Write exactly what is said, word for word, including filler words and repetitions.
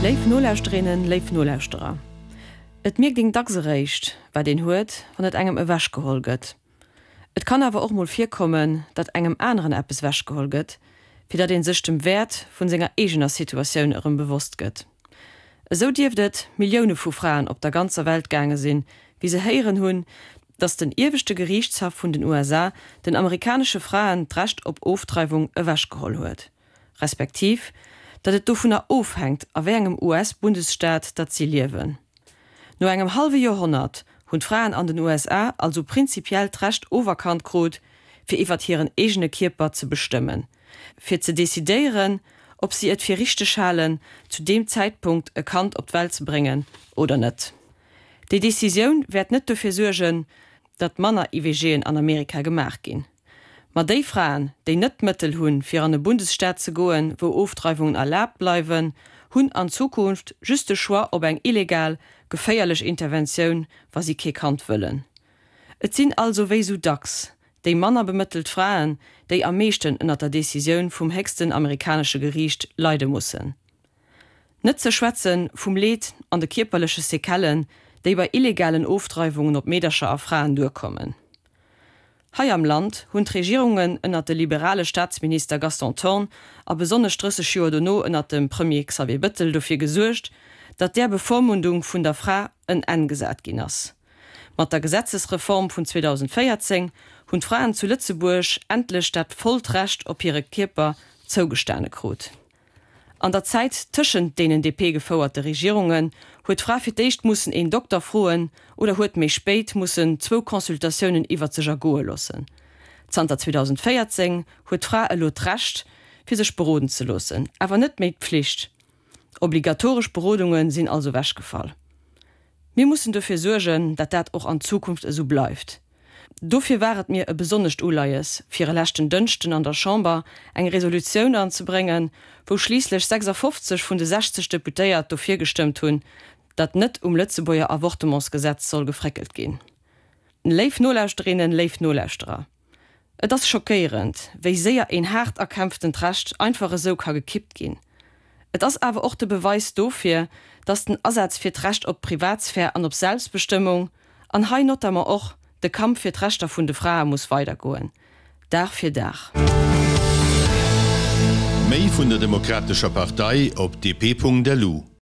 Léif Nolauschterinnen, léif Nolauschterer, Et mierkt een dacks eréischt, wat een huet, wann et engem ewechgeholl gëtt. Et kann awer och mol virkommen, datt engem aneren eppes ewechgeholl gëtt, fir datt een sech dem Wäert vun senger eegener Situatioun erëm bewosst gëtt. Esou dierft et Millioune vu Fraen op der ganzer Welt gaange sinn, wéi se héieren hunn, datt den Ieweschte Geriichtshaff vun den U S A den amerikanesche Fraen d'Recht op Ofdreiwung ewechgeholl huet, respektiv datt et dovunner ofhänkt, a wéi engem U S-Bundesstaat datt si liewen. No engem hallwe Joerhonnert hunn d'Fraen an den U S A also prinzipiell d'Recht oferkannt krut, fir iwwer hiren eegene Kierper ze bestëmmen, fir ze decidéieren, ob si et fir richteg halen, zu deem Zäitpunkt e Kand op d'Welt ze bréngen oder net. Déi Decisioun wäert net dofir suergen, datt manner I V Gen an Amerika gemaach ginn. Ma déi Fraen, déi net d'Mëttel hunn, fir an e Bundesstaat ze goen, wou Ofdreiwungen erlaabt bleiwen, hunn an Zukunft just de Choix op eng illegal, geféierlech Interventioun, wa si kee Kand wëllen. Et sinn also wéi sou dacks déi manner bemëttelt Fraen, déi am meeschten ënner der Decisioun vum héchsten amerikanesche Geriicht leide mussen. Net ze schwätze vum Leed an de kierperleche Sequellen, déi bei illegalen Ofdreiwungen op Meedercher a Fraen duerkommen. Hei am Land hunn d'Regierungen ënner de liberale Staatsminister Gaston Thorn a besonnesch drësseg Joer dono ënner dem Premier Xavier Bettel dofir gesuergt, datt där Bevormundung vun der Fra en Enn gesat ginn ass. Mat der Gesetzesreform vun zweedausendvéierzéng hunn d'Fraen zu Lëtzebuerg endlech dat vollt Recht op hire Kierper zougestane krut. An der Zäit tëschent deenen D P-gefouerte Regierungen huet d'Fra fir d'éischt mussen een Dokter froen oder huet méi spéit mussen zwou Consultatiounen iwwer sech ergoe loossen. Zanter zweedausendvéierzéng huet d'Fra elo d'Recht, fir sech beroden ze loossen, awer net méi d'Pflicht. Obligatoresch Berodunge sinn also ewechgefall. Mir mussen dofir suergen, datt dat och an Zukunft esou bleift. Dofir war et mir e besonnescht Uleies, fir e leschten Dënschden an der Chamber eng Resolutioun anzebréngen, wou schliisslech sechsafofzeg vun de sechzeg Deputéiert dofir gestëmmt hunn, datt net um Lëtzebuerger Avortementsgesetz soll gefréckelt ginn. Léif Nolauschterinnen, léif Nolauschterer, et ass schockéierend, wéi séier een haart erkämpftent Recht einfach esou ka gekippt ginn. Et ass awer och de Beweis dofir, datt den Asaz fir d'Recht op Privatsphär an op Selbstbestëmmung, an hei notamment och de Kampf fir d'Rechter vun de Frae muss weidergoen. Dag fir Dag. Méi vun der Demokratescher Partei op D P Punkt L U.